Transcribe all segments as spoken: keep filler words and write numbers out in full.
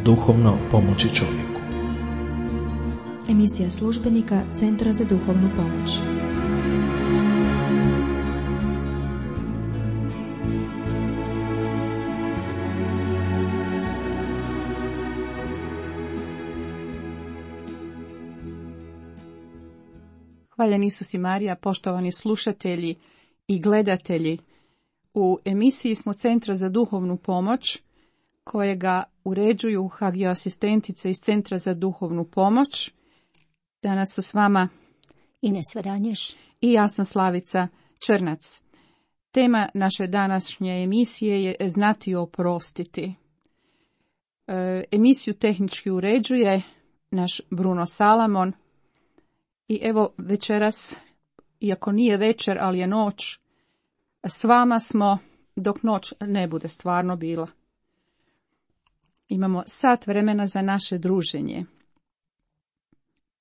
Duhovno pomoći čovjeku. Emisija službenika Centra za duhovnu pomoć. Hvaljen Isus i Marija, poštovani slušatelji i gledatelji. U emisiji smo Centra za duhovnu pomoć, kojega uređuju hagioasistentice iz Centra za duhovnu pomoć. Danas su s vama Ines Varanješ i ja sam Slavica Črnac. Tema naše današnje emisije je Znati oprostiti. E, emisiju tehnički uređuje naš Bruno Salamon. I evo večeras, iako nije večer, ali je noć, s vama smo dok noć ne bude stvarno bila. Imamo sat vremena za naše druženje.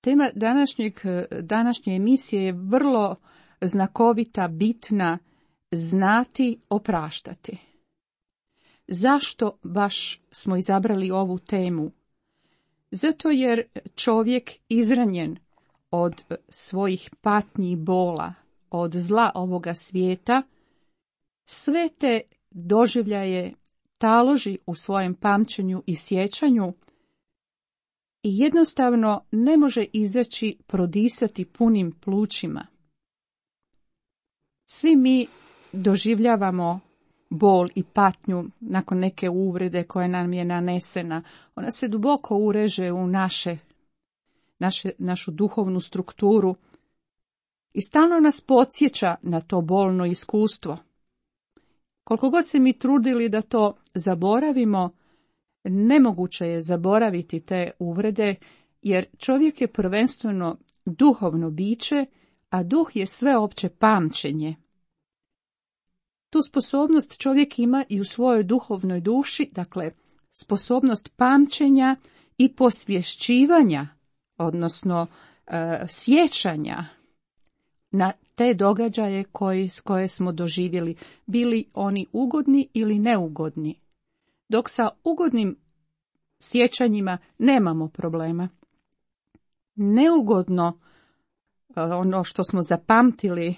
Tema današnjeg, današnje emisije je vrlo znakovita, bitna, znati opraštati. Zašto baš smo izabrali ovu temu? Zato jer čovjek izranjen od svojih patnji i bola, od zla ovoga svijeta, sve te doživljaje taloži u svojem pamćenju i sjećanju i jednostavno ne može izaći prodisati punim plućima. Svi mi doživljavamo bol i patnju nakon neke uvrede koja nam je nanesena. Ona se duboko ureže u naše Naše, našu duhovnu strukturu i stalno nas podsjeća na to bolno iskustvo. Koliko god se mi trudili da to zaboravimo, nemoguće je zaboraviti te uvrede, jer čovjek je prvenstveno duhovno biće, a duh je sveopće pamćenje. Tu sposobnost čovjek ima i u svojoj duhovnoj duši, dakle sposobnost pamćenja i posvješćivanja, odnosno e, sjećanja na te događaje koji, koje smo doživjeli, bili oni ugodni ili neugodni. Dok sa ugodnim sjećanjima nemamo problema. Neugodno, e, ono što smo zapamtili,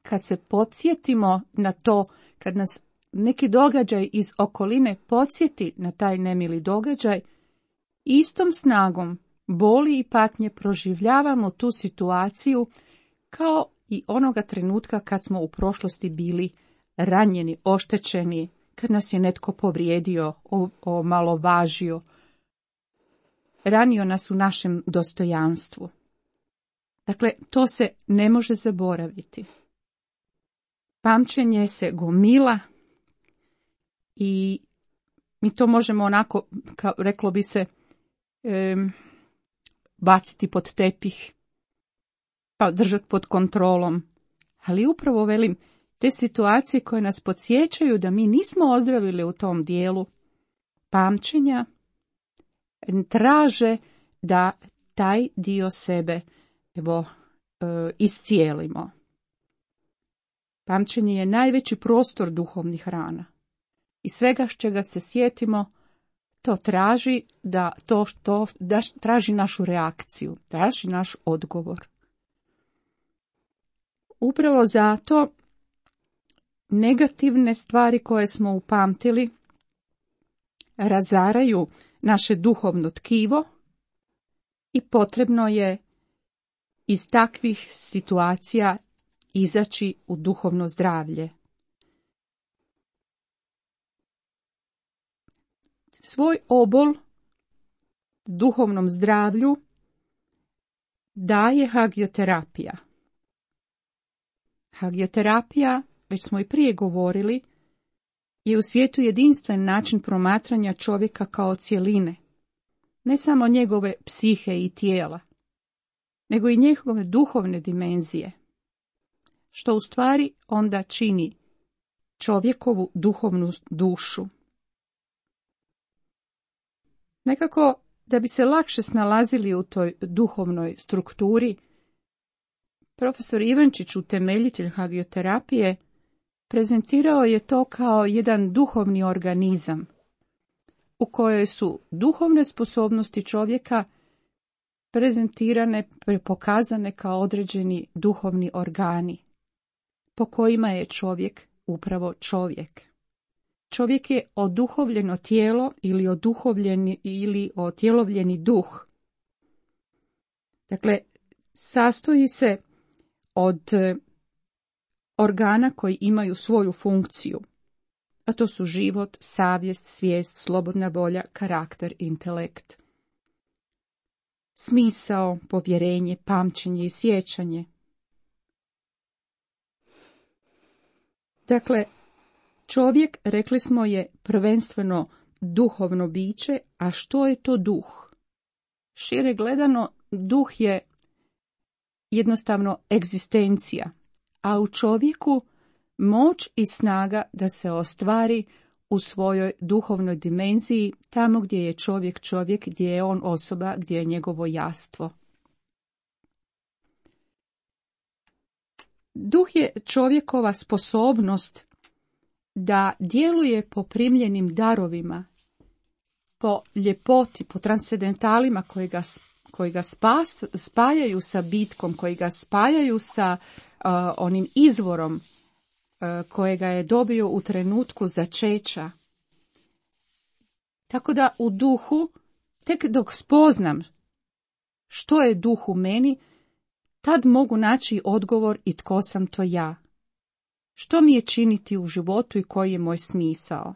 kad se podsjetimo na to, kad nas neki događaj iz okoline podsjeti na taj nemili događaj, istom snagom boli i patnje proživljavamo tu situaciju kao i onoga trenutka kad smo u prošlosti bili ranjeni, oštećeni, kad nas je netko povrijedio, omalovažio, ranio nas u našem dostojanstvu. Dakle, to se ne može zaboraviti. Pamćenje se gomila i mi to možemo onako, kao reklo bi se, em, baciti pod tepih, pa držati pod kontrolom. Ali upravo velim, te situacije koje nas podsjećaju da mi nismo ozdravili u tom dijelu pamćenja, traže da taj dio sebe evo, e, iscijelimo. Pamćenje je najveći prostor duhovnih rana. I svega s čega se sjetimo, to traži da to što da traži našu reakciju, traži naš odgovor. Upravo zato negativne stvari koje smo upamtili razaraju naše duhovno tkivo i potrebno je iz takvih situacija izaći u duhovno zdravlje. Svoj obol duhovnom zdravlju daje hagioterapija. Hagioterapija, već smo i prije govorili, je u svijetu jedinstven način promatranja čovjeka kao cjeline, ne samo njegove psihe i tijela, nego i njegove duhovne dimenzije, što u stvari onda čini čovjekovu duhovnu dušu. Nekako, da bi se lakše snalazili u toj duhovnoj strukturi, profesor Ivančić, utemeljitelj hagioterapije, prezentirao je to kao jedan duhovni organizam u kojoj su duhovne sposobnosti čovjeka prezentirane, pokazane kao određeni duhovni organi po kojima je čovjek upravo čovjek. Čovjek je oduhovljeno tijelo ili oduhovljeni ili otjelovljeni duh. Dakle, sastoji se od organa koji imaju svoju funkciju, a to su život, savjest, svijest, slobodna volja, karakter, intelekt, smisao, povjerenje, pamćenje i sjećanje. Dakle, čovjek, rekli smo, je prvenstveno duhovno biće, a što je to duh? Šire gledano, duh je jednostavno egzistencija, a u čovjeku moć i snaga da se ostvari u svojoj duhovnoj dimenziji, tamo gdje je čovjek čovjek, gdje je on osoba, gdje je njegovo jastvo. Duh je čovjekova sposobnost da djeluje po primljenim darovima, po ljepoti, po transcendentalima koji ga, koji ga spas, spajaju sa bitkom, koji ga spajaju sa uh, onim izvorom uh, kojega je dobio u trenutku začeća. Tako da u duhu, tek dok spoznam što je duh u meni, tad mogu naći odgovor i tko sam to ja. Što mi je činiti u životu i koji je moj smisao?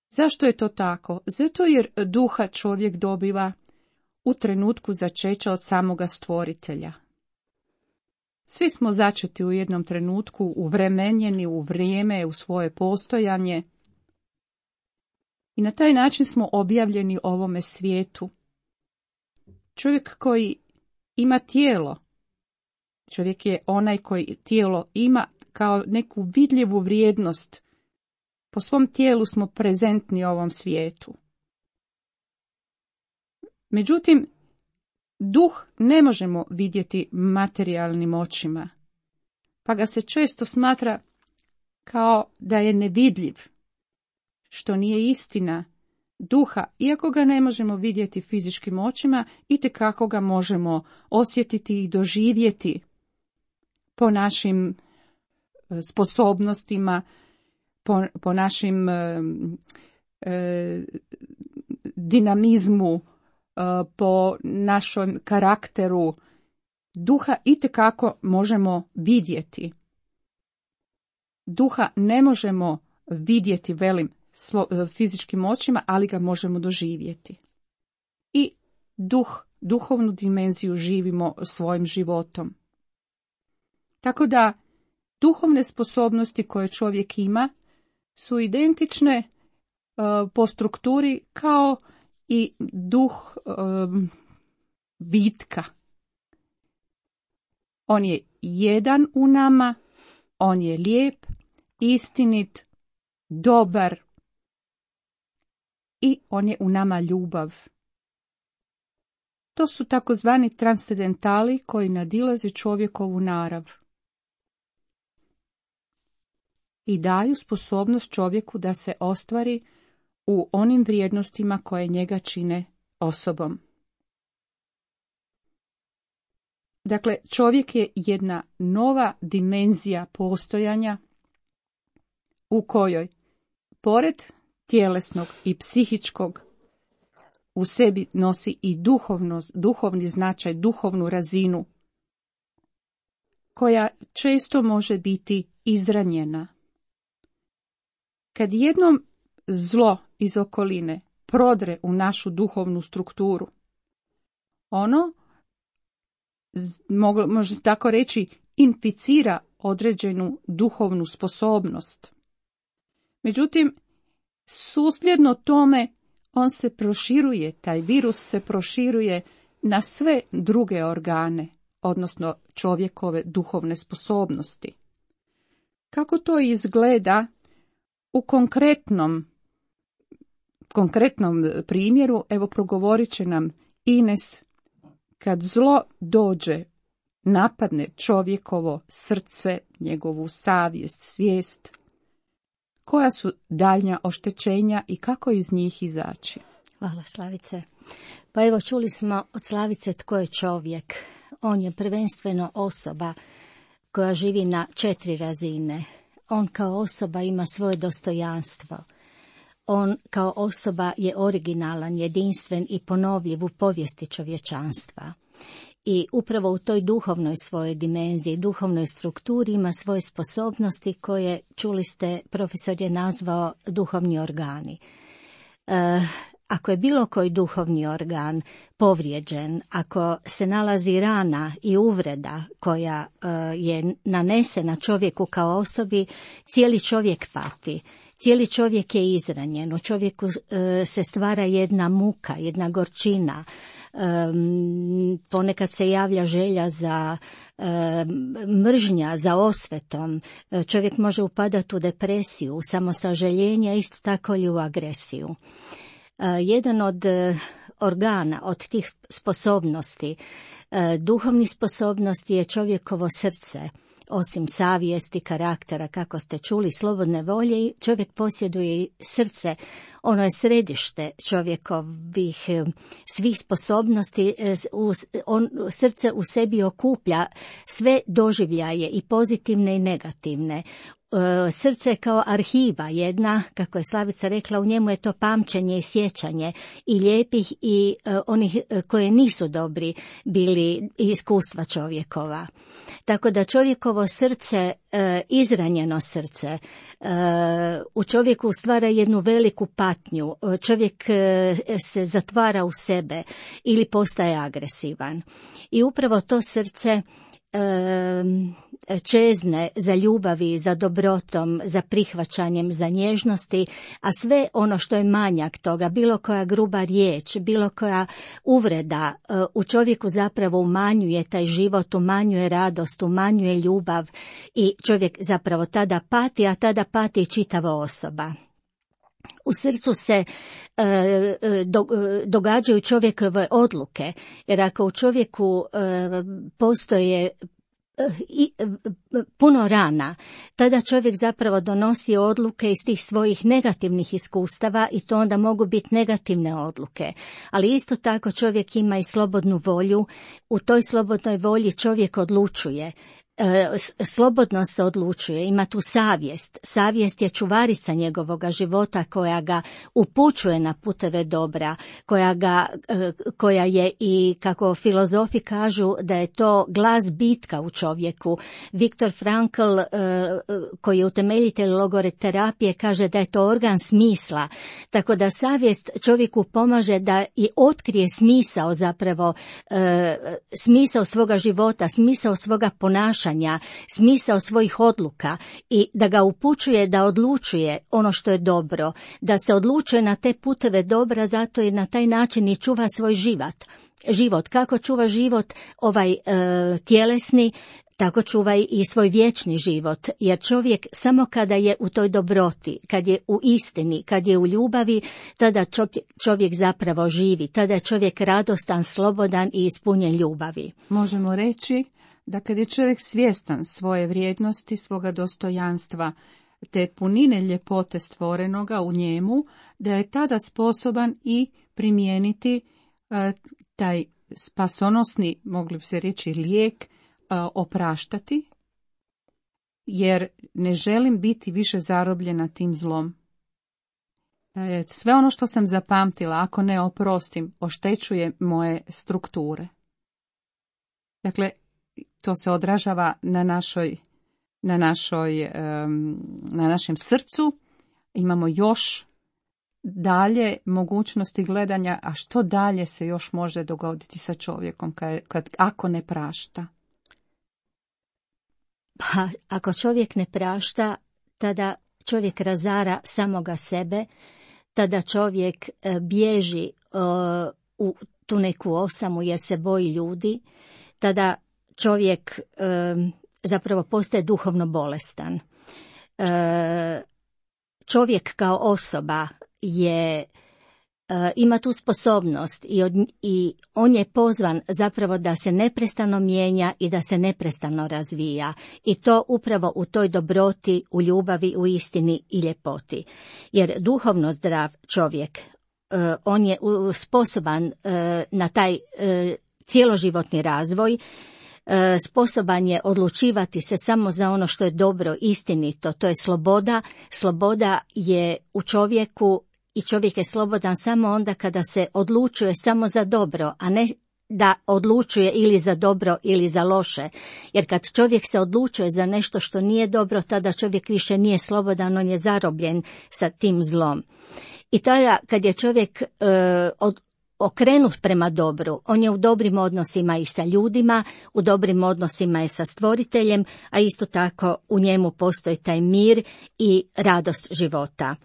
Zašto je to tako? Zato jer duha čovjek dobiva u trenutku začeća od samoga stvoritelja. Svi smo začeti u jednom trenutku, uvremenjeni u vrijeme, u svoje postojanje. I na taj način smo objavljeni ovome svijetu. Čovjek koji ima tijelo, čovjek je onaj koji tijelo ima kao neku vidljivu vrijednost. Po svom tijelu smo prezentni ovom svijetu. Međutim, duh ne možemo vidjeti materijalnim očima, pa ga se često smatra kao da je nevidljiv, što nije istina. Duha, iako ga ne možemo vidjeti fizičkim očima, itekako ga možemo osjetiti i doživjeti po našim sposobnostima, po, po našim e, e, dinamizmu, e, po našem karakteru. Duha itekako možemo vidjeti. Duha ne možemo vidjeti, velim, slo, fizičkim očima, ali ga možemo doživjeti. I duh, duhovnu dimenziju živimo svojim životom. Tako da duhovne sposobnosti koje čovjek ima su identične uh, po strukturi kao i duh um, bitka. On je jedan u nama, on je lijep, istinit, dobar i on je u nama ljubav. To su takozvani transcendentali koji nadilaze čovjekovu narav i daju sposobnost čovjeku da se ostvari u onim vrijednostima koje njega čine osobom. Dakle, čovjek je jedna nova dimenzija postojanja u kojoj, pored tjelesnog i psihičkog, u sebi nosi i duhovno, duhovni značaj, duhovnu razinu, koja često može biti izranjena. Kad jednom zlo iz okoline prodre u našu duhovnu strukturu, ono, može se tako reći, inficira određenu duhovnu sposobnost. Međutim, susljedno tome on se proširuje, taj virus se proširuje na sve druge organe, odnosno čovjekove duhovne sposobnosti. Kako to izgleda u konkretnom, konkretnom primjeru, evo progovorit će nam Ines, kad zlo dođe napadne čovjekovo srce, njegovu savjest, svijest, koja su daljnja oštećenja i kako iz njih izaći? Hvala, Slavice. Pa evo, čuli smo od Slavice tko je čovjek. On je prvenstveno osoba koja živi na četiri razine. On kao osoba ima svoje dostojanstvo. On kao osoba je originalan, jedinstven i ponovljiv u povijesti čovječanstva. I upravo u toj duhovnoj svojoj dimenziji, duhovnoj strukturi ima svoje sposobnosti koje, čuli ste, profesor je nazvao duhovni organi. E, ako je bilo koji duhovni organ povrijeđen, ako se nalazi rana i uvreda koja e, je nanesena čovjeku kao osobi, cijeli čovjek pati. Cijeli čovjek je izranjen, u čovjeku e, se stvara jedna muka, jedna gorčina, e, ponekad se javlja želja za e, mržnja, za osvetom, e, čovjek može upadati u depresiju, u samosažaljenje, isto tako i u agresiju. E, jedan od organa, od tih sposobnosti, e, duhovnih sposobnosti je čovjekovo srce. Osim savjesti, karaktera, kako ste čuli, slobodne volje, čovjek posjeduje i srce. Ono je središte čovjekovih svih sposobnosti. On, srce u sebi okuplja sve doživljaje, i pozitivne i negativne. Srce je kao arhiva jedna, kako je Slavica rekla, u njemu je to pamćenje i sjećanje i lijepih i onih koje nisu dobri bili iskustva čovjekova. Tako da čovjekovo srce, izranjeno srce, u čovjeku stvara jednu veliku patnju. Čovjek se zatvara u sebe ili postaje agresivan. I upravo to srce čezne za ljubavi, za dobrotom, za prihvaćanjem, za nježnosti, a sve ono što je manjak toga, bilo koja gruba riječ, bilo koja uvreda, u čovjeku zapravo umanjuje taj život, umanjuje radost, umanjuje ljubav i čovjek zapravo tada pati, a tada pati i čitava osoba. U srcu se e, do, događaju čovjekove odluke, jer ako u čovjeku e, postoje i puno rana, tada čovjek zapravo donosi odluke iz tih svojih negativnih iskustava i to onda mogu biti negativne odluke. Ali isto tako čovjek ima i slobodnu volju, u toj slobodnoj volji čovjek odlučuje. Slobodno se odlučuje, ima tu savjest. Savjest je čuvarica njegovoga života koja ga upućuje na puteve dobra, koja, ga, koja je i, kako filozofi kažu, da je to glas bitka u čovjeku. Viktor Frankl, koji je utemeljitelj logoterapije, kaže da je to organ smisla. Tako da savjest čovjeku pomaže da i otkrije smisao zapravo, smisao svoga života, smisao svoga ponašanja, smisao svojih odluka i da ga upućuje da odlučuje ono što je dobro, da se odlučuje na te puteve dobra, zato i na taj način i čuva svoj život. Život, kako čuva život ovaj e, tjelesni, tako čuva i svoj vječni život, jer čovjek samo kada je u toj dobroti, kad je u istini, kad je u ljubavi, tada čovjek zapravo živi, tada je čovjek radostan, slobodan i ispunjen ljubavi. Možemo reći da kad je čovjek svjestan svoje vrijednosti, svoga dostojanstva, te punine ljepote stvorenoga u njemu, da je tada sposoban i primijeniti uh, taj spasonosni, mogli bi se reći, lijek, uh, opraštati, jer ne želim biti više zarobljena tim zlom. Uh, sve ono što sam zapamtila, ako ne oprostim, oštećuje moje strukture. Dakle, to se odražava na našoj, na našoj, na našem srcu. Imamo još dalje mogućnosti gledanja, a što dalje se još može dogoditi sa čovjekom kad, kad, ako ne prašta? Pa, ako čovjek ne prašta, tada čovjek razara samoga sebe, tada čovjek bježi uh, u tu neku osamu jer se boji ljudi, tada čovjek e, zapravo postaje duhovno bolestan. E, čovjek kao osoba je e, ima tu sposobnost i, od, i on je pozvan zapravo da se neprestano mijenja i da se neprestano razvija. I to upravo u toj dobroti, u ljubavi, u istini i ljepoti. Jer duhovno zdrav čovjek, e, on je sposoban e, na taj e, cjeloživotni razvoj, sposoban je odlučivati se samo za ono što je dobro, istinito, to je sloboda. Sloboda je u čovjeku i čovjek je slobodan samo onda kada se odlučuje samo za dobro, a ne da odlučuje ili za dobro ili za loše. Jer kad čovjek se odlučuje za nešto što nije dobro, tada čovjek više nije slobodan, on je zarobljen sa tim zlom. I tada kad je čovjek e, od okrenut prema dobru, on je u dobrim odnosima i sa ljudima, u dobrim odnosima i sa stvoriteljem, a isto tako u njemu postoji taj mir i radost života.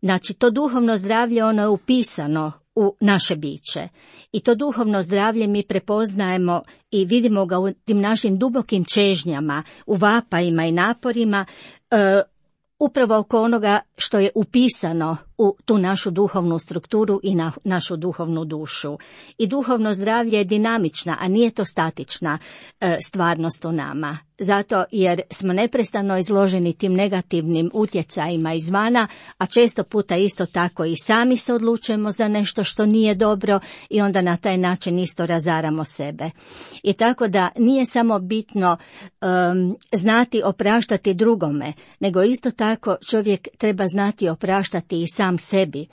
Znači, to duhovno zdravlje, ono je upisano u naše biće. I to duhovno zdravlje mi prepoznajemo i vidimo ga u tim našim dubokim čežnjama, u vapajima i naporima, e, upravo oko onoga što je upisano u tu našu duhovnu strukturu i na našu duhovnu dušu. I duhovno zdravlje je dinamična, a nije to statična e, stvarnost u nama. Zato jer smo neprestano izloženi tim negativnim utjecajima izvana, a često puta isto tako i sami se odlučujemo za nešto što nije dobro i onda na taj način isto razaramo sebe. I tako da nije samo bitno um, znati opraštati drugome, nego isto tako čovjek treba znati opraštati i sam sebi.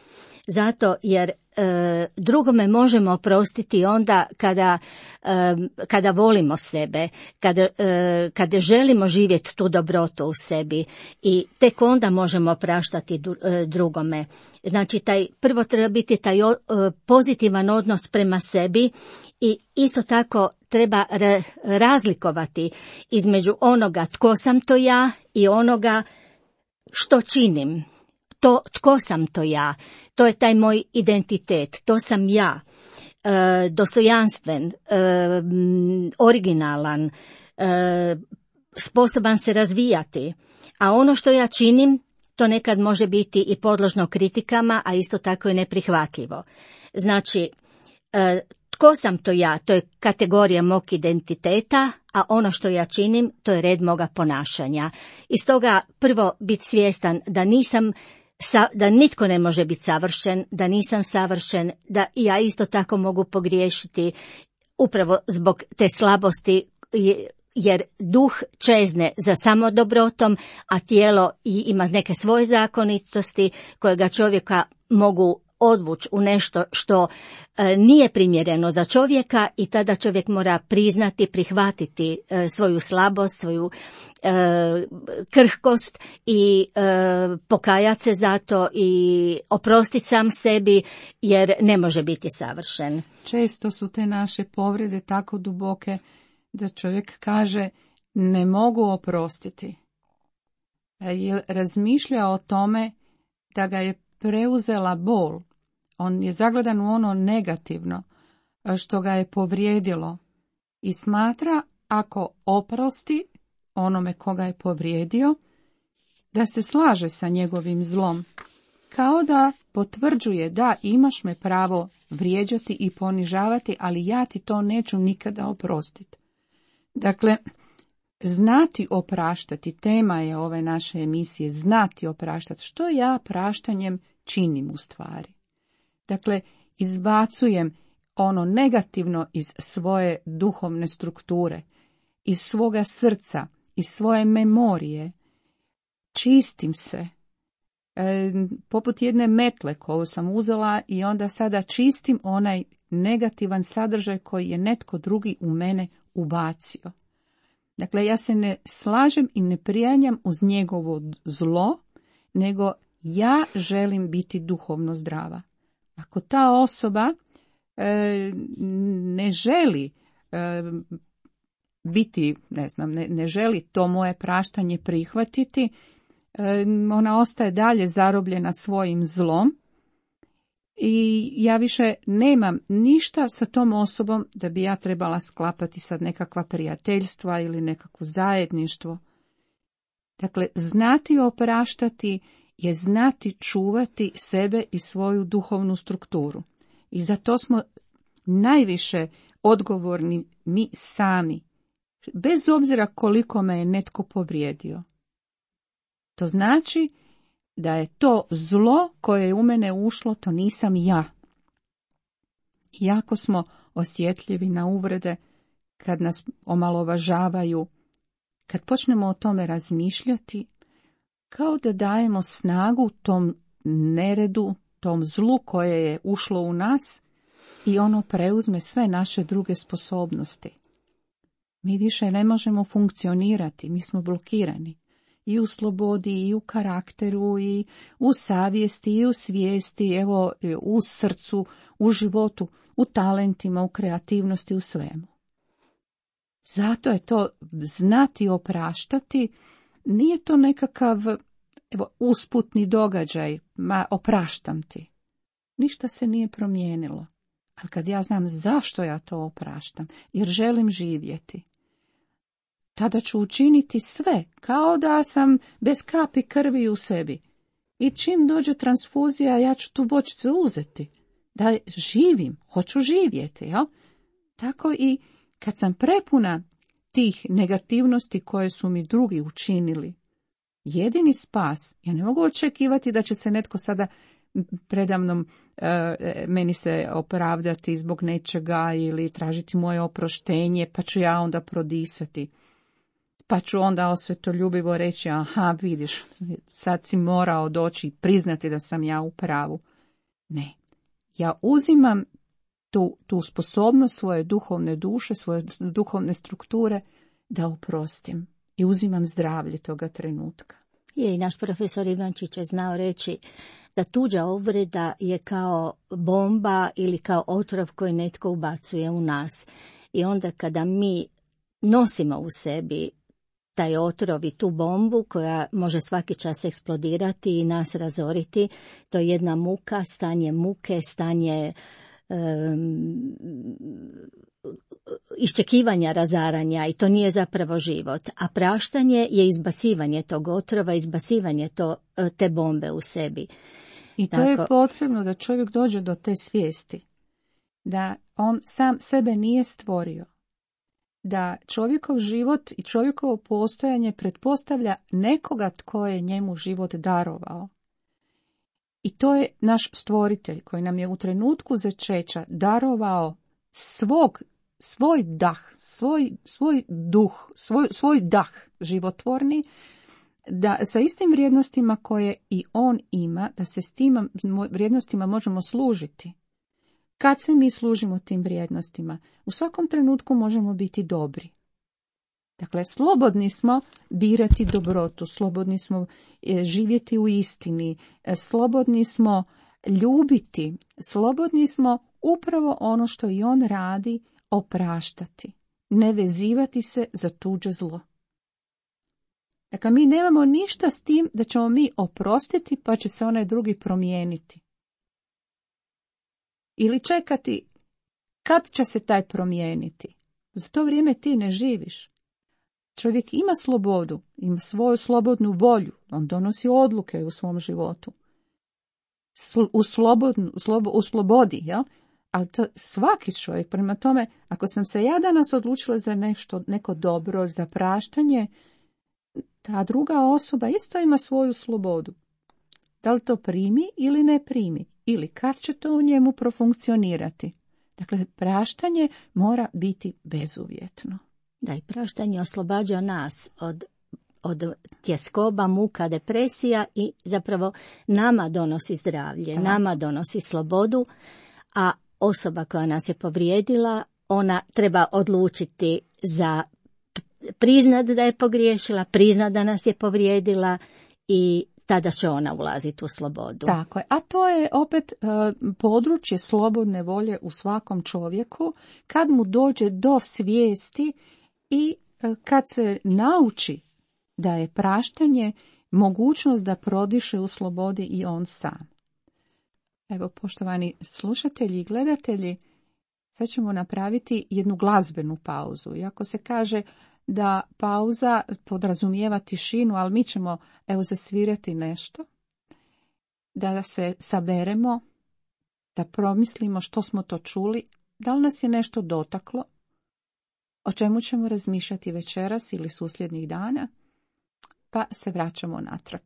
Zato jer e, drugome možemo oprostiti onda kada, e, kada volimo sebe, kada, e, kada želimo živjeti tu dobrotu u sebi i tek onda možemo opraštati du, e, drugome. Znači, taj, prvo treba biti taj o, e, pozitivan odnos prema sebi i isto tako treba re, razlikovati između onoga tko sam to ja i onoga što činim. To tko sam to ja, to je taj moj identitet, to sam ja, e, dostojanstven, e, originalan, e, sposoban se razvijati, a ono što ja činim, to nekad može biti i podložno kritikama, a isto tako i neprihvatljivo. Znači, e, tko sam to ja, to je kategorija mog identiteta, a ono što ja činim, to je red moga ponašanja. I stoga prvo biti svjestan da nisam da nitko ne može biti savršen, da nisam savršen, da ja isto tako mogu pogriješiti upravo zbog te slabosti, jer duh čezne za samodobrotom, a tijelo ima neke svoje zakonitosti koje ga čovjeka mogu odvući u nešto što e, nije primjereno za čovjeka i tada čovjek mora priznati, prihvatiti e, svoju slabost, svoju e, krhkost i e, pokajati se za to i oprostiti sam sebi jer ne može biti savršen. Često su te naše povrede tako duboke da čovjek kaže ne mogu oprostiti. Jer razmišlja o tome da ga je preuzela bol. On je zagledan u ono negativno što ga je povrijedilo i smatra ako oprosti onome koga je povrijedio, da se slaže sa njegovim zlom. Kao da potvrđuje da imaš me pravo vrijeđati i ponižavati, ali ja ti to neću nikada oprostiti. Dakle, znati opraštati, tema je ove naše emisije, znati opraštati. Što ja praštanjem činim u stvari? Dakle, izbacujem ono negativno iz svoje duhovne strukture, iz svoga srca, iz svoje memorije, čistim se, e, poput jedne metle koju sam uzela i onda sada čistim onaj negativan sadržaj koji je netko drugi u mene ubacio. Dakle, ja se ne slažem i ne prijanjam uz njegovo zlo, nego ja želim biti duhovno zdrava. Ako ta osoba e, ne želi e, biti, ne znam, ne, ne želi to moje praštanje prihvatiti, e, ona ostaje dalje zarobljena svojim zlom i ja više nemam ništa sa tom osobom da bi ja trebala sklapati sad nekakva prijateljstva ili nekakvo zajedništvo. Dakle, znati opraštati je znati čuvati sebe i svoju duhovnu strukturu. I za to smo najviše odgovorni mi sami, bez obzira koliko me je netko povrijedio. To znači da je to zlo koje je u mene ušlo, to nisam ja. Jako smo osjetljivi na uvrede kad nas omalovažavaju. Kad počnemo o tome razmišljati, kao da dajemo snagu tom neredu, tom zlu koje je ušlo u nas i ono preuzme sve naše druge sposobnosti. Mi više ne možemo funkcionirati, mi smo blokirani. I u slobodi, i u karakteru, i u savjesti, i u svijesti, evo, u srcu, u životu, u talentima, u kreativnosti, u svemu. Zato je to znati opraštati, nije to nekakav evo, usputni događaj, ma opraštam ti. Ništa se nije promijenilo. Ali kad ja znam zašto ja to opraštam, jer želim živjeti, tada ću učiniti sve, kao da sam bez kapi krvi u sebi. I čim dođe transfuzija, ja ću tu bočicu uzeti. Da živim, hoću živjeti, jel? Tako i kad sam prepuna tih negativnosti koje su mi drugi učinili, jedini spas, ja ne mogu očekivati da će se netko sada predamnom e, meni se opravdati zbog nečega ili tražiti moje oproštenje, pa ću ja onda prodisati. Pa ću onda osvetoljubivo reći, aha, vidiš, sad si morao doći i priznati da sam ja u pravu. Ne, ja uzimam tu, tu sposobnost svoje duhovne duše, svoje duhovne strukture da oprostim i uzimam zdravlje toga trenutka. Je, i naš profesor Ivančić je znao reći da tuđa uvreda je kao bomba ili kao otrov koji netko ubacuje u nas. I onda kada mi nosimo u sebi taj otrov i tu bombu koja može svaki čas eksplodirati i nas razoriti, to je jedna muka, stanje muke, stanje um, iščekivanja razaranja i to nije zapravo život. A praštanje je izbacivanje tog otrova, izbacivanje to, te bombe u sebi. I to Tako, je potrebno da čovjek dođe do te svijesti, da on sam sebe nije stvorio, da čovjekov život i čovjekovo postojanje pretpostavlja nekoga tko je njemu život darovao. I to je naš stvoritelj koji nam je u trenutku začeća darovao svog, svoj dah, svoj, svoj duh, svoj, svoj dah životvorni, da sa istim vrijednostima koje i on ima, da se s tim vrijednostima možemo služiti. Kad se mi služimo tim vrijednostima, u svakom trenutku možemo biti dobri. Dakle, slobodni smo birati dobrotu, slobodni smo živjeti u istini, slobodni smo ljubiti, slobodni smo upravo ono što i on radi, opraštati, ne vezivati se za tuđe zlo. Dakle, mi nemamo ništa s tim da ćemo mi oprostiti pa će se onaj drugi promijeniti. Ili čekati kad će se taj promijeniti. Za to vrijeme ti ne živiš. Čovjek ima slobodu, ima svoju slobodnu volju, on donosi odluke u svom životu. U, slobodnu, slobo, u slobodi, jel? Ali to svaki čovjek, prema tome, ako sam se ja danas odlučila za nešto, neko dobro, za praštanje, ta druga osoba isto ima svoju slobodu. Da li to primi ili ne primi, ili kad će to u njemu profunkcionirati. Dakle, praštanje mora biti bezuvjetno. Da, i praštanje oslobađa nas od, od tjeskoba, muka, depresija i zapravo nama donosi zdravlje, Aha. nama donosi slobodu, a osoba koja nas je povrijedila, ona treba odlučiti za priznat da je pogriješila, priznat da nas je povrijedila i tada će ona ulaziti u slobodu. Tako je, a to je opet uh, područje slobodne volje u svakom čovjeku, kad mu dođe do svijesti i uh, kad se nauči da je praštanje mogućnost da prodiše u slobodi i on sam. Evo, poštovani slušatelji i gledatelji, sad ćemo napraviti jednu glazbenu pauzu. Iako se kaže da pauza podrazumijeva tišinu, ali mi ćemo evo zasvirati nešto. da se saberemo, da promislimo što smo to čuli, da li nas je nešto dotaklo, o čemu ćemo razmišljati večeras ili susljednih dana, pa se vraćamo natrag.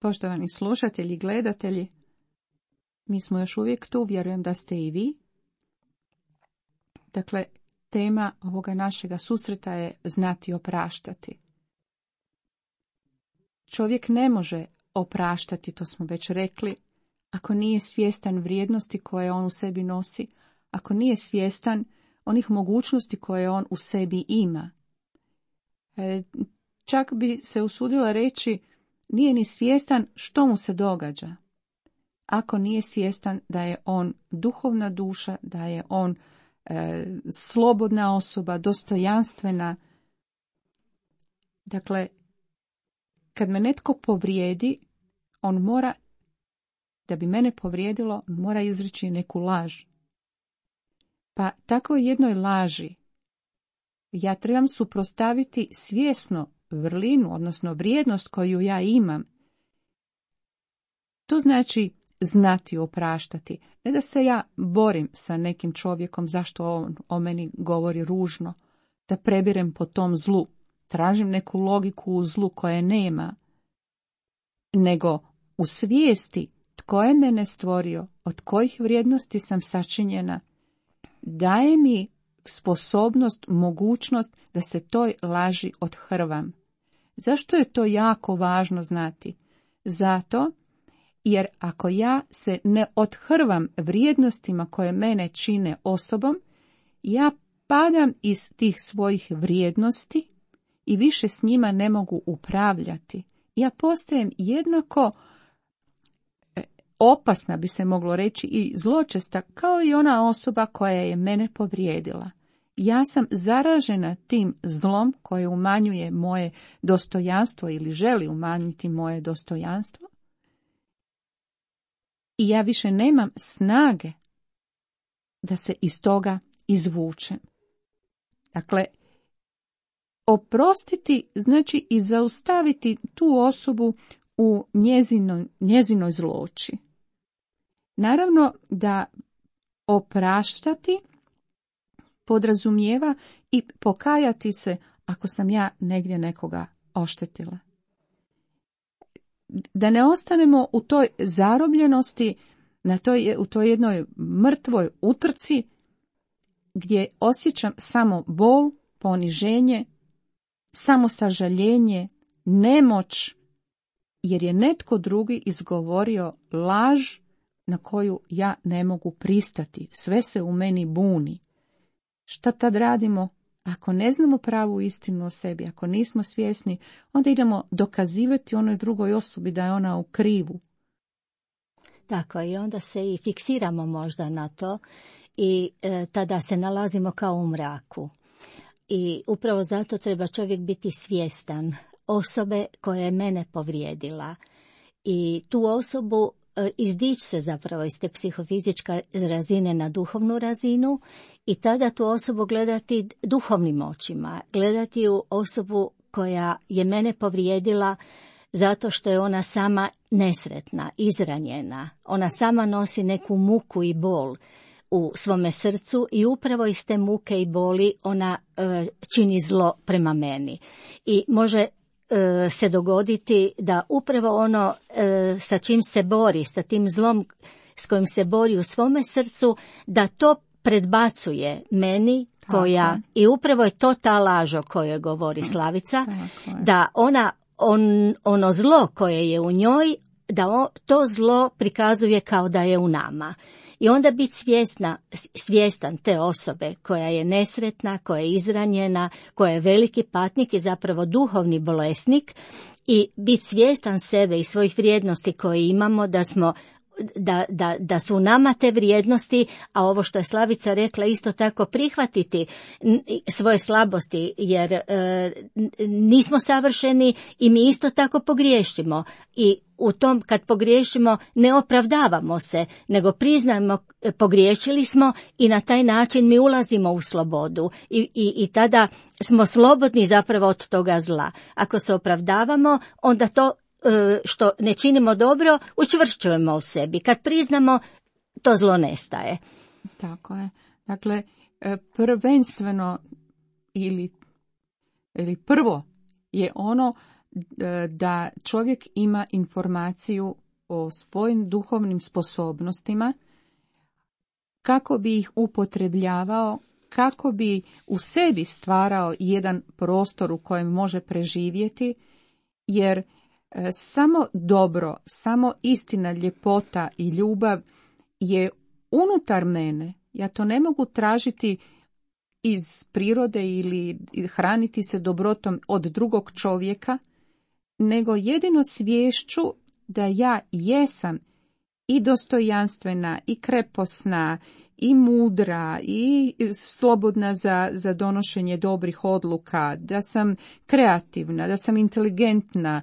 Poštovani slušatelji i gledatelji, mi smo još uvijek tu, vjerujem da ste i vi. Dakle, tema ovoga našega susreta je znati opraštati. Čovjek ne može opraštati, to smo već rekli, ako nije svjestan vrijednosti koje on u sebi nosi, ako nije svjestan onih mogućnosti koje on u sebi ima. E, čak bi se usudila reći, nije ni svjestan što mu se događa. Ako nije svjestan da je on duhovna duša, da je on e, slobodna osoba, dostojanstvena. Dakle, kad me netko povrijedi, on mora, da bi mene povrijedilo, on mora izreći neku laž. Pa tako jednoj laži ja trebam suprotstaviti svjesno vrlinu, odnosno vrijednost koju ja imam. To znači znati opraštati. Ne da se ja borim sa nekim čovjekom zašto on o meni govori ružno, da prebirem po tom zlu, tražim neku logiku u zlu koje nema, nego u svijesti tko je mene stvorio, od kojih vrijednosti sam sačinjena, daje mi sposobnost, mogućnost da se toj laži odhrvam. Zašto je to jako važno znati? Zato jer ako ja se ne odhrvam vrijednostima koje mene čine osobom, ja padam iz tih svojih vrijednosti i više s njima ne mogu upravljati. Ja postajem jednako opasna, bi se moglo reći, i zločesta kao i ona osoba koja je mene povrijedila. Ja sam zaražena tim zlom koje umanjuje moje dostojanstvo ili želi umanjiti moje dostojanstvo. I ja više nemam snage da se iz toga izvučem. Dakle, oprostiti znači i zaustaviti tu osobu u njezinoj, njezinoj zloći. Naravno da opraštati podrazumijeva i pokajati se ako sam ja negdje nekoga oštetila. Da ne ostanemo u toj zarobljenosti, na toj, u toj jednoj mrtvoj utrci gdje osjećam samo bol, poniženje, samo sažaljenje, nemoć, jer je netko drugi izgovorio laž na koju ja ne mogu pristati. Sve se u meni buni. Šta tad radimo? Ako ne znamo pravu istinu o sebi, ako nismo svjesni, onda idemo dokazivati onoj drugoj osobi da je ona u krivu. Tako, i onda se i fiksiramo možda na to i e, tada se nalazimo kao u mraku. I upravo zato treba čovjek biti svjestan osobe koja je mene povrijedila. I tu osobu e, izdići se zapravo iz te psihofizičke razine na duhovnu razinu i tada tu osobu gledati duhovnim očima, gledati u osobu koja je mene povrijedila zato što je ona sama nesretna, izranjena. Ona sama nosi neku muku i bol u svome srcu i upravo iz te muke i boli ona e, čini zlo prema meni. I može e, se dogoditi da upravo ono e, sa čim se bori, sa tim zlom s kojim se bori u svome srcu, da to predbacuje meni koja, tako. I upravo je to ta laž o kojoj govori Slavica, da ona on, ono zlo koje je u njoj, da on, to zlo prikazuje kao da je u nama. I onda biti svjesna, svjestan te osobe koja je nesretna, koja je izranjena, koja je veliki patnik i zapravo duhovni bolesnik i biti svjestan sebe i svojih vrijednosti koje imamo, da smo Da, da, da su u nama te vrijednosti, a ovo što je Slavica rekla isto tako prihvatiti svoje slabosti, jer e, nismo savršeni i mi isto tako pogriješimo. I u tom kad pogriješimo ne opravdavamo se, nego priznajemo pogriješili smo i na taj način mi ulazimo u slobodu i, i, i tada smo slobodni zapravo od toga zla. Ako se opravdavamo, onda to što ne činimo dobro, učvršćujemo u sebi. Kad priznamo, to zlo nestaje. Tako je. Dakle, prvenstveno ili, ili prvo je ono da čovjek ima informaciju o svojim duhovnim sposobnostima, kako bi ih upotrebljavao, kako bi u sebi stvarao jedan prostor u kojem može preživjeti, jer samo dobro, samo istina, ljepota i ljubav je unutar mene. Ja to ne mogu tražiti iz prirode ili hraniti se dobrotom od drugog čovjeka, nego jedino sviješću da ja jesam i dostojanstvena, i kreposna, i mudra, i slobodna za, za donošenje dobrih odluka, da sam kreativna, da sam inteligentna,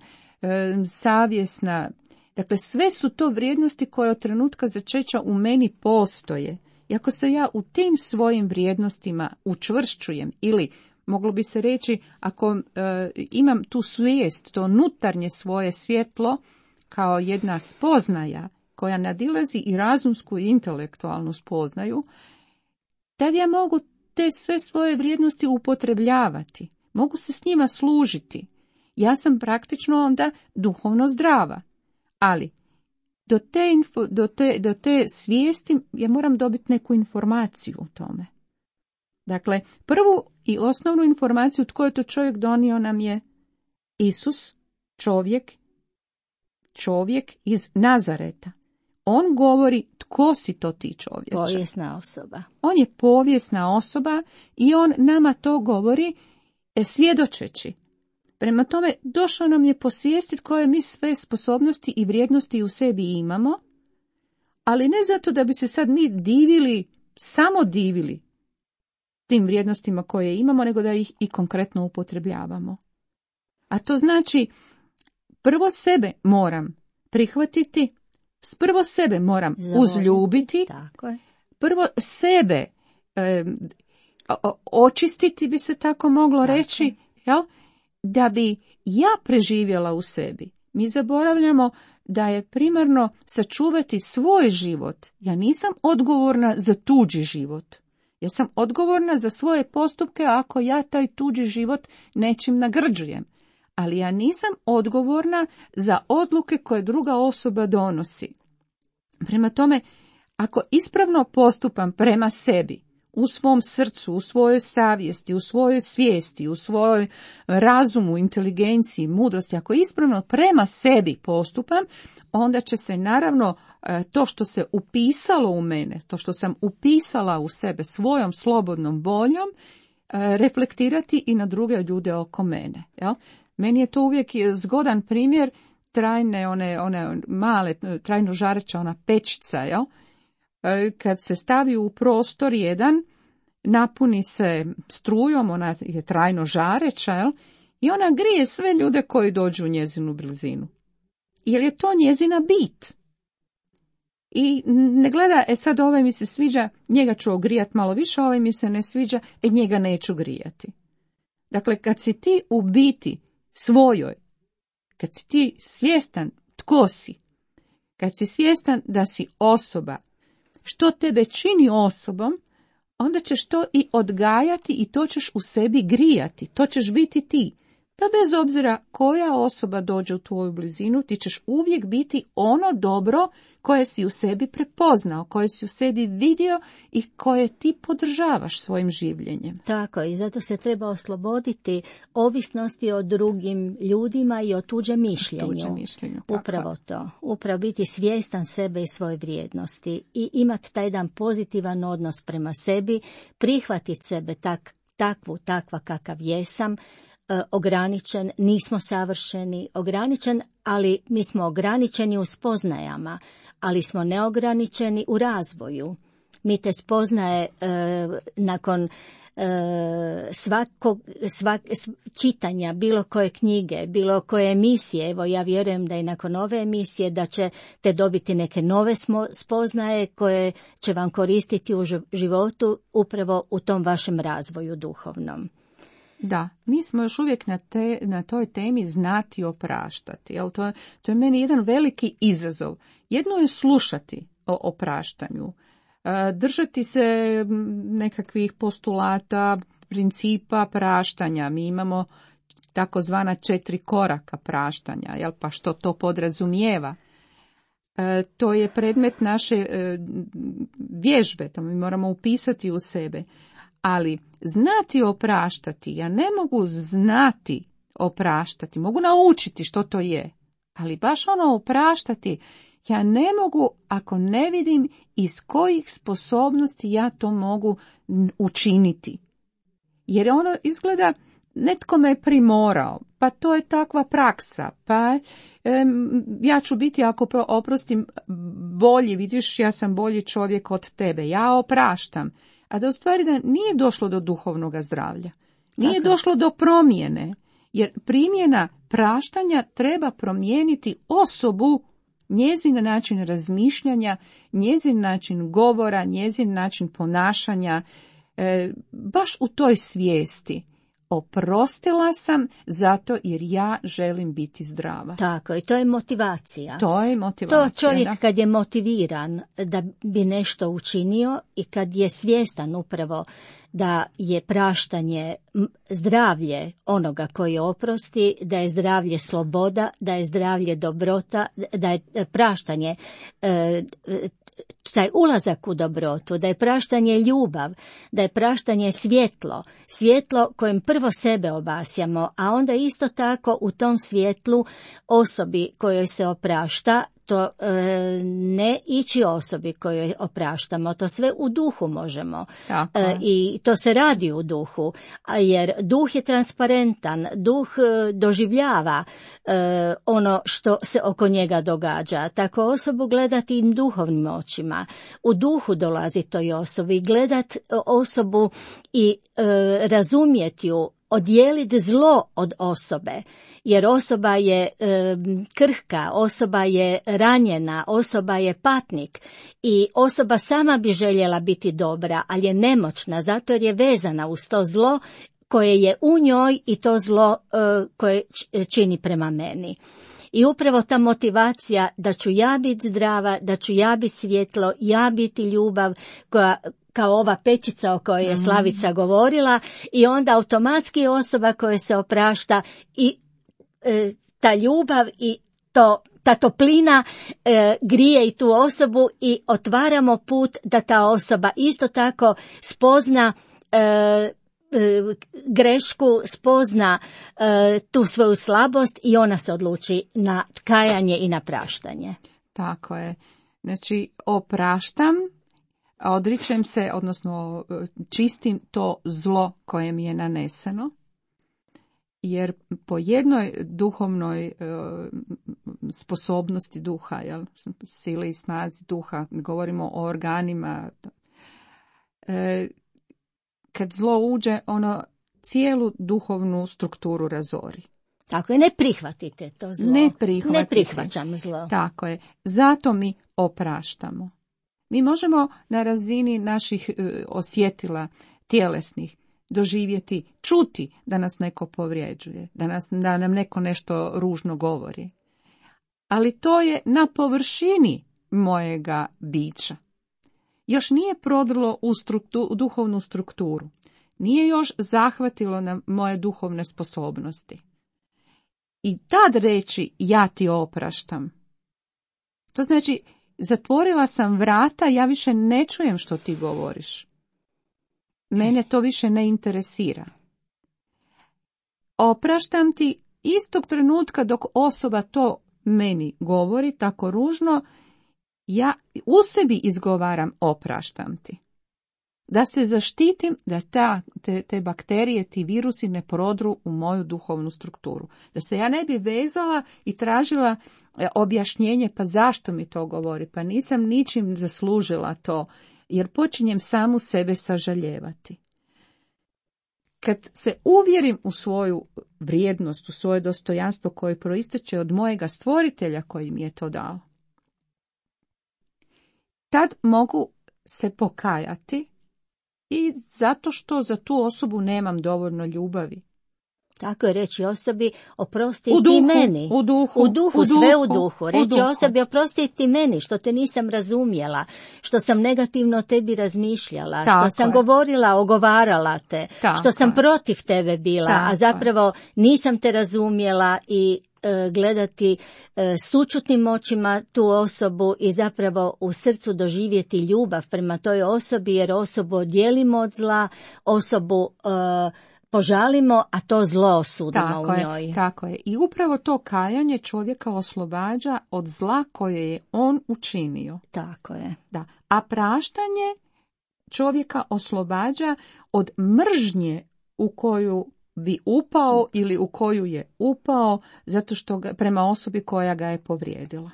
savjesna. Dakle, sve su to vrijednosti koje od trenutka začeća u meni postoje. I ako se ja u tim svojim vrijednostima učvršćujem ili moglo bi se reći, ako e, imam tu svijest, to unutarnje svoje svjetlo, kao jedna spoznaja koja nadilazi i razumsku i intelektualnu spoznaju, tad ja mogu te sve svoje vrijednosti upotrebljavati, mogu se s njima služiti. Ja sam praktično onda duhovno zdrava, ali do te, info, do te, do te svijesti ja moram dobiti neku informaciju o tome. Dakle, prvu i osnovnu informaciju tko je to čovjek donio nam je Isus, čovjek, čovjek iz Nazareta. On govori tko si to ti čovječe. Povijesna osoba. On je povijesna osoba i on nama to govori e, svjedočeći. Prema tome, došao nam je posvijestiti koje mi sve sposobnosti i vrijednosti u sebi imamo, ali ne zato da bi se sad mi divili, samo divili tim vrijednostima koje imamo, nego da ih i konkretno upotrebljavamo. A to znači, prvo sebe moram prihvatiti, prvo sebe moram Zavoliti. uzljubiti, Tako je. prvo sebe e, očistiti, bi se tako moglo Tako. reći, jel? Da bi ja preživjela u sebi. Mi zaboravljamo da je primarno sačuvati svoj život. Ja nisam odgovorna za tuđi život. Ja sam odgovorna za svoje postupke ako ja taj tuđi život nečim nagrđujem. Ali ja nisam odgovorna za odluke koje druga osoba donosi. Prema tome, ako ispravno postupam prema sebi, u svom srcu, u svojoj savjesti, u svojoj svijesti, u svojoj razumu, inteligenciji, mudrosti, ako ispravno prema sebi postupam, onda će se naravno to što se upisalo u mene, to što sam upisala u sebe svojom slobodnom voljom, reflektirati i na druge ljude oko mene. Jel? Meni je to uvijek zgodan primjer trajne, one, one male, trajno žareća, ona pečica, jel? Kad se stavi u prostor jedan, napuni se strujom, ona je trajno žareća, jel? I ona grije sve ljude koji dođu u njezinu blizinu. Jer je to njezina bit. I ne gleda, e sad ovaj mi se sviđa, njega ću ogrijati malo više, ovaj mi se ne sviđa, e njega neću grijati. Dakle, kad si ti u biti svojoj, kad si ti svjestan tko si, kad si svjestan da si osoba, što tebe čini osobom, onda ćeš to i odgajati i to ćeš u sebi grijati, to ćeš biti ti. Pa bez obzira koja osoba dođe u tvoju blizinu, ti ćeš uvijek biti ono dobro koje si u sebi prepoznao, koje si u sebi vidio i koje ti podržavaš svojim življenjem. Tako, i zato se treba osloboditi ovisnosti o drugim ljudima i o tuđem mišljenju. Tuđe mišljenju, Upravo to. Upravo biti svjestan sebe i svoje vrijednosti i imati taj jedan pozitivan odnos prema sebi, prihvatiti sebe tak, takvu, takva kakav jesam, ograničen, nismo savršeni, ograničen, ali mi smo ograničeni u spoznajama, ali smo neograničeni u razvoju. Mi te spoznaje e, nakon e, svakog svak, čitanja bilo koje knjige, bilo koje emisije, evo ja vjerujem da i nakon ove emisije da ćete dobiti neke nove smo, spoznaje koje će vam koristiti u životu upravo u tom vašem razvoju duhovnom. Da, mi smo još uvijek na, te, na toj temi znati opraštati. Jel? To, to je meni jedan veliki izazov. Jedno je slušati o opraštanju, držati se nekakvih postulata, principa praštanja. Mi imamo takozvana četiri koraka praštanja, jel? Pa što to podrazumijeva? E, to je predmet naše e, vježbe, to mi moramo upisati u sebe. Ali znati opraštati, ja ne mogu znati opraštati, mogu naučiti što to je, ali baš ono opraštati, ja ne mogu ako ne vidim iz kojih sposobnosti ja to mogu učiniti. Jer ono izgleda, netko me je primorao, pa to je takva praksa, pa em, ja ću biti, ako oprostim, bolji, vidiš, ja sam bolji čovjek od tebe, ja opraštam. A da u stvari da nije došlo do duhovnog zdravlja, nije Tako. došlo do promjene, jer primjena praštanja treba promijeniti osobu, njezin način razmišljanja, njezin način govora, njezin način ponašanja, e, baš u toj svijesti. oprostila sam zato jer ja želim biti zdrava. Tako, i to je motivacija. To je motivacija. To čovjek da. kad je motiviran da bi nešto učinio i kad je svjestan upravo da je praštanje zdravlje onoga koji oprosti, da je zdravlje sloboda, da je zdravlje dobrota, da je praštanje e, taj ulazak u dobrotu, da je praštanje ljubav, da je praštanje svjetlo, svjetlo kojem prvo sebe obasjamo, a onda isto tako u tom svjetlu osobi kojoj se oprašta, to e, ne ići osobi kojoj opraštamo, to sve u duhu možemo. E, I to se radi u duhu, jer duh je transparentan, duh e, doživljava e, ono što se oko njega događa. Tako osobu gledati duhovnim očima. U duhu dolazi toj osobi, gledat osobu i e, razumjeti ju, odijeliti zlo od osobe, jer osoba je e, krhka, osoba je ranjena, osoba je patnik i osoba sama bi željela biti dobra, ali je nemoćna zato jer je vezana uz to zlo koje je u njoj i to zlo e, koje čini prema meni. I upravo ta motivacija da ću ja biti zdrava, da ću ja biti svjetlo, ja biti ljubav koja kao ova pečica o kojoj je Slavica govorila i onda automatski osoba koja se oprašta i e, ta ljubav i to, ta toplina e, grije i tu osobu i otvaramo put da ta osoba isto tako spozna e, grešku, spozna e, tu svoju slabost i ona se odluči na kajanje i na praštanje. Tako je. Znači, opraštam, odričem se, odnosno čistim to zlo koje mi je naneseno, jer po jednoj duhovnoj e, sposobnosti duha, jel, sili i snazi duha, govorimo o organima, e, kad zlo uđe, ono cijelu duhovnu strukturu razori. Tako je, ne prihvatite to zlo. Ne prihvatite. Ne prihvaćam zlo. Tako je. Zato mi opraštamo. Mi možemo na razini naših e, osjetila tjelesnih doživjeti, čuti da nas neko povrijeđuje, da, nas, da nam neko nešto ružno govori. Ali to je na površini mojega bića. Još nije prodrlo u, struktu, u duhovnu strukturu. Nije još zahvatilo na moje duhovne sposobnosti. I tad reći ja ti opraštam. To znači, zatvorila sam vrata, ja više ne čujem što ti govoriš. Mene to više ne interesira. Opraštam ti istog trenutka dok osoba to meni govori tako ružno, ja u sebi izgovaram opraštam ti. Da se zaštitim da ta, te, te bakterije, ti virusi ne prodru u moju duhovnu strukturu. Da se ja ne bi vezala i tražila objašnjenje pa zašto mi to govori, pa nisam ničim zaslužila to, jer počinjem samu sebe sažaljevati. Kad se uvjerim u svoju vrijednost, u svoje dostojanstvo koje proisteče od mojega stvoritelja koji mi je to dao, tad mogu se pokajati i zato što za tu osobu nemam dovoljno ljubavi. Tako je, reći osobi oprosti u duhu, ti meni. U duhu, u duhu, u sve duhu, u duhu. Reći u duhu. osobi oprosti ti meni što te nisam razumjela, što sam negativno o tebi razmišljala, Tako što sam je. govorila, ogovarala te, Tako što sam je. protiv tebe bila, Tako a zapravo nisam te razumjela i e, gledati e, sućutnim očima tu osobu i zapravo u srcu doživjeti ljubav prema toj osobi, jer osobu odijelimo od zla, osobu e, požalimo, a to zlo osudimo tako u je, njoj. Tako je. I upravo to kajanje čovjeka oslobađa od zla koje je on učinio. Tako je. Da. A praštanje čovjeka oslobađa od mržnje u koju bi upao ili u koju je upao zato što ga, prema osobi koja ga je povrijedila.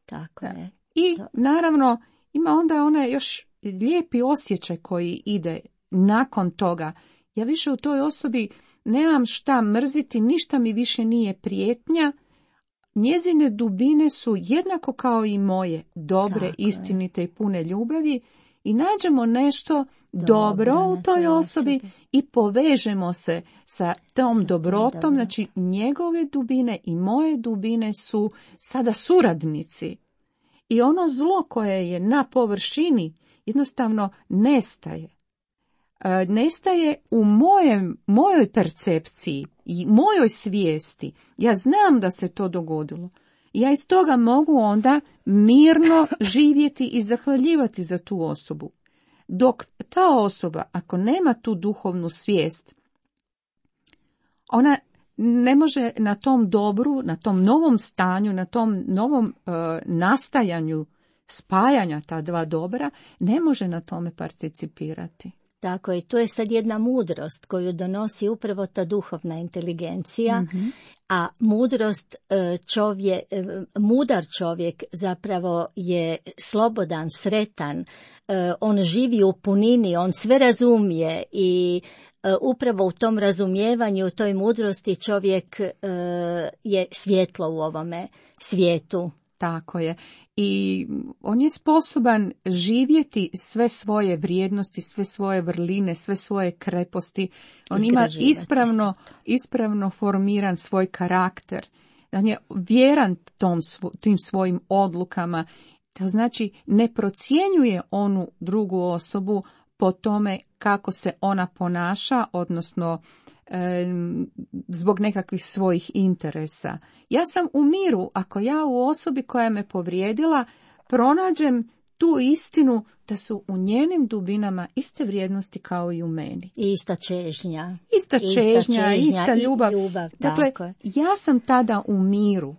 Tako je. I to... naravno ima onda onaj još lijepi osjećaj koji ide nakon toga. Ja više u toj osobi nemam šta mrziti, ništa mi više nije prijetnja. Njezine dubine su jednako kao i moje, dobre, Tako istinite je. i pune ljubavi. i nađemo nešto dobro, dobro u toj osobi, osobi i povežemo se sa tom sa dobrotom, dobro. Znači njegove dubine i moje dubine su sada suradnici. I ono zlo koje je na površini jednostavno nestaje. E, nestaje u mojem, mojoj percepciji i mojoj svijesti. Ja znam da se to dogodilo. Ja iz toga mogu onda mirno živjeti i zahvaljivati za tu osobu. Dok ta osoba, ako nema tu duhovnu svijest, ona ne može na tom dobru, na tom novom stanju, na tom novom uh, nastajanju spajanja ta dva dobra, ne može na tome participirati. Tako je, to je sad jedna mudrost koju donosi upravo ta duhovna inteligencija, mm-hmm. a mudrost čovjek, mudar čovjek zapravo je slobodan, sretan, on živi u punini, on sve razumije i upravo u tom razumijevanju, u toj mudrosti čovjek je svjetlo u ovome svijetu. Tako je. I on je sposoban živjeti sve svoje vrijednosti, sve svoje vrline, sve svoje kreposti. On ima ispravno, ispravno formiran svoj karakter. On je vjeran tom, tim svojim odlukama. To znači ne procjenjuje onu drugu osobu po tome kako se ona ponaša, odnosno e, zbog nekakvih svojih interesa. Ja sam u miru ako ja u osobi koja me povrijedila pronađem tu istinu da su u njenim dubinama iste vrijednosti kao i u meni. I ista čežnja. Ista čežnja, ista, čežnja, ista ljubav. ljubav dakle, ja sam tada u miru,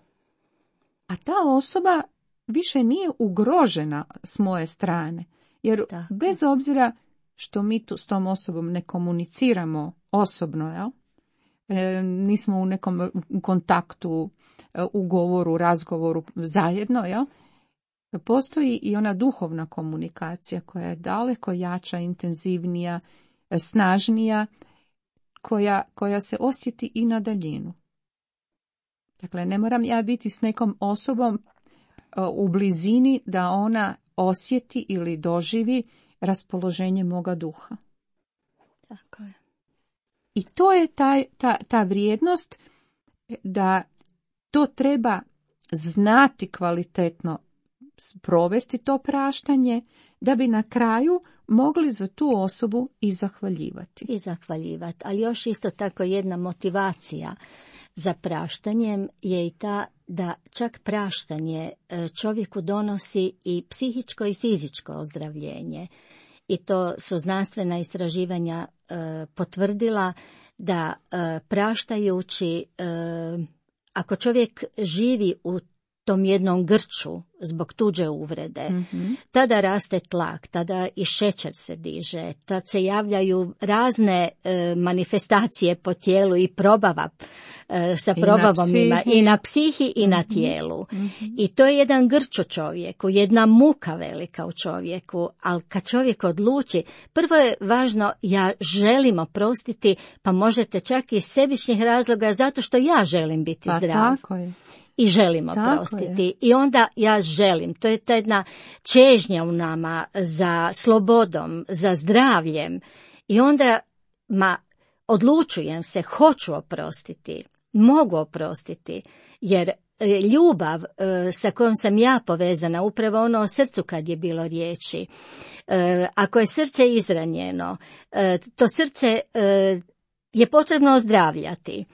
a ta osoba više nije ugrožena s moje strane. Jer tako. Bez obzira što mi tu s tom osobom ne komuniciramo osobno, jel? E, nismo u nekom kontaktu, ugovoru, razgovoru zajedno, jel? Postoji i ona duhovna komunikacija koja je daleko jača, intenzivnija, snažnija, koja, koja se osjeti i na daljinu. Dakle, ne moram ja biti s nekom osobom u blizini da ona osjeti ili doživi raspoloženje moga duha. Tako je. I to je taj, ta, ta vrijednost da to treba znati kvalitetno provesti to praštanje, da bi na kraju mogli za tu osobu i zahvaljivati. I zahvaljivati, ali još isto tako jedna motivacija za praštanjem je i ta da čak praštanje čovjeku donosi i psihičko i fizičko ozdravljenje. I to su znanstvena istraživanja e, potvrdila da e, praštajući, e, ako čovjek živi u tom jednom grču zbog tuđe uvrede, mm-hmm. tada raste tlak, tada i šećer se diže, tad se javljaju razne e, manifestacije po tijelu i probava e, sa I probavom na ima i na psihi i mm-hmm. na tijelu. Mm-hmm. I to je jedan grč u čovjeku, jedna muka velika u čovjeku, ali kad čovjek odluči, prvo je važno, ja želim oprostiti, pa možete čak iz sebičnih razloga zato što ja želim biti pa zdrav. Tako je. I želim oprostiti. I onda ja želim. To je ta jedna čežnja u nama za slobodom, za zdravljem. I onda ma, odlučujem se, hoću oprostiti, mogu oprostiti, jer ljubav e, sa kojom sam ja povezana, upravo ono o srcu kad je bilo riječi, e, ako je srce izranjeno, e, to srce e, je potrebno ozdravljati.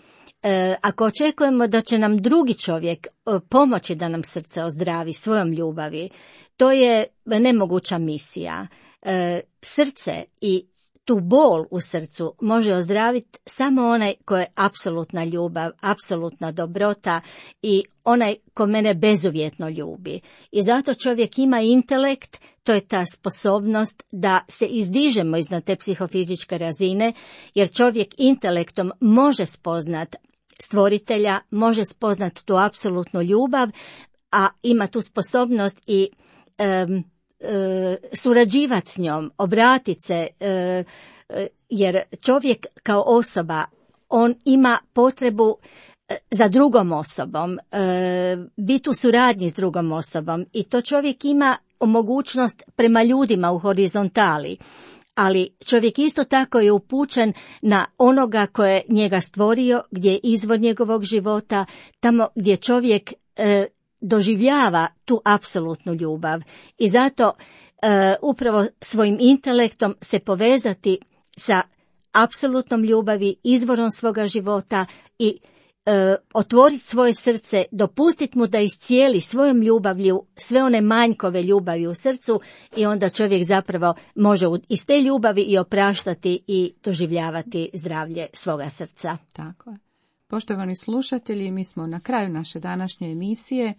E, ako očekujemo da će nam drugi čovjek e, pomoći da nam srce ozdravi svojom ljubavi, to je nemoguća misija. E, srce i tu bol u srcu može ozdraviti samo onaj ko je apsolutna ljubav, apsolutna dobrota i onaj ko mene bezuvjetno ljubi. I zato čovjek ima intelekt, to je ta sposobnost da se izdižemo iznad te psihofizičke razine, jer čovjek intelektom može spoznat stvoritelja, može spoznat tu apsolutnu ljubav, a ima tu sposobnost i um, surađivati s njom, obratiti se, jer čovjek kao osoba, on ima potrebu za drugom osobom, biti u suradnji s drugom osobom i to čovjek ima mogućnost prema ljudima u horizontali, ali čovjek isto tako je upućen na onoga koje je njega stvorio, gdje je izvor njegovog života, tamo gdje čovjek e, doživljava tu apsolutnu ljubav. I zato e, upravo svojim intelektom se povezati sa apsolutnom ljubavi, izvorom svoga života i e, otvoriti svoje srce, dopustiti mu da iscijeli svojom ljubavlju sve one manjkove ljubavi u srcu i onda čovjek zapravo može iz te ljubavi i opraštati i doživljavati zdravlje svoga srca. Tako je. Poštovani slušatelji, mi smo na kraju naše današnje emisije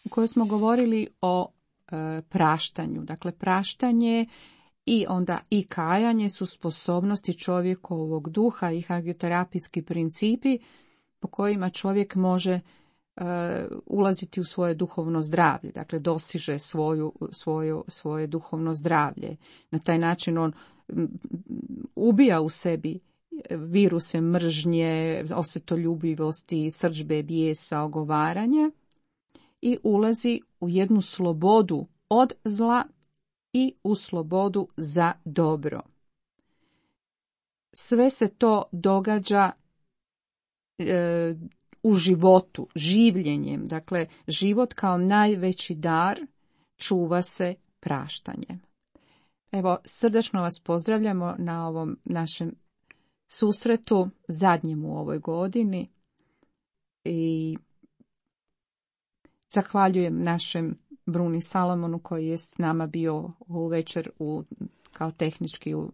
u kojoj smo govorili o e, praštanju. Dakle, praštanje i onda i kajanje su sposobnosti čovjekovog duha i hagioterapijski principi po kojima čovjek može e, ulaziti u svoje duhovno zdravlje, dakle dosiže svoju, svoju, svoje duhovno zdravlje. Na taj način on m, ubija u sebi viruse mržnje, osvetoljubivosti, srdžbe, bijesa, ogovaranja i ulazi u jednu slobodu od zla i u slobodu za dobro. Sve se to događa e, u životu, življenjem. Dakle, život kao najveći dar čuva se praštanjem. Evo, srdačno vas pozdravljamo na ovom našem susretu, zadnjem u ovoj godini. I zahvaljujem našem Bruni Salomonu koji je s nama bio u večer u, kao tehnički, u,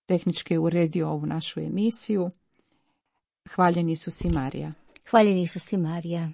tehnički uredio ovu našu emisiju. Hvaljeni Isus i Marija. Hvaljeni Isus i Marija.